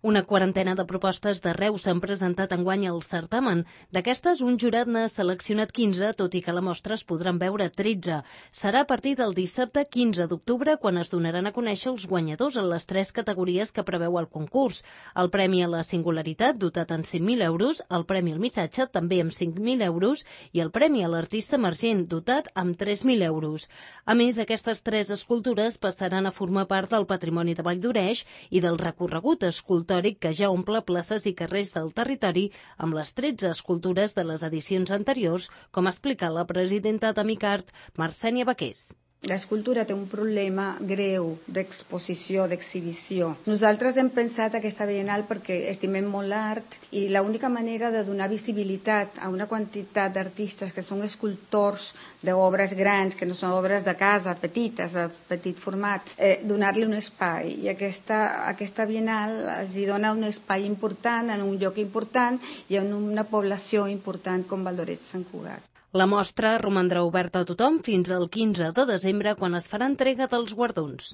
Una quarantena de propostes d'arreu s'han presentat enguany al certamen. D'aquestes, un jurat n'ha seleccionat 15, tot i que a la mostra es podran veure 13. Serà a partir del dissabte 15 d'octubre quan es donaran a conèixer els guanyadors en les 3 categories que preveu el concurs. El Premi a la Singularitat, dotat en 100.000 euros, el Premi al Missatge, també amb 5.000 euros, i el Premi a l'Artista Emergent, dotat amb 3.000 euros. A més, aquestes 3 escultures passaran a formar part del patrimoni de Valldoreix i del recorregut escultòric que ja omple places i carrers del territori amb les 13 escultures de les edicions anteriors, com ha explicat la presidenta d'Amicart, Marcènia Baqués. L'escultura té un problema greu d'exposició, d'exhibició. Nosaltres hem pensat aquesta Bienal perquè estimem molt l'art i l'única manera de donar visibilitat a una quantitat d'artistes que són escultors d'obres grans, que no són obres de casa, petites, de petit format, donar-li un espai. I aquesta Bienal els dona un espai important, en un lloc important i en una població important com Valldoreix-Sant Cugat. La mostra romandrà oberta a tothom fins al 15 de desembre, quan es farà entrega dels guardons.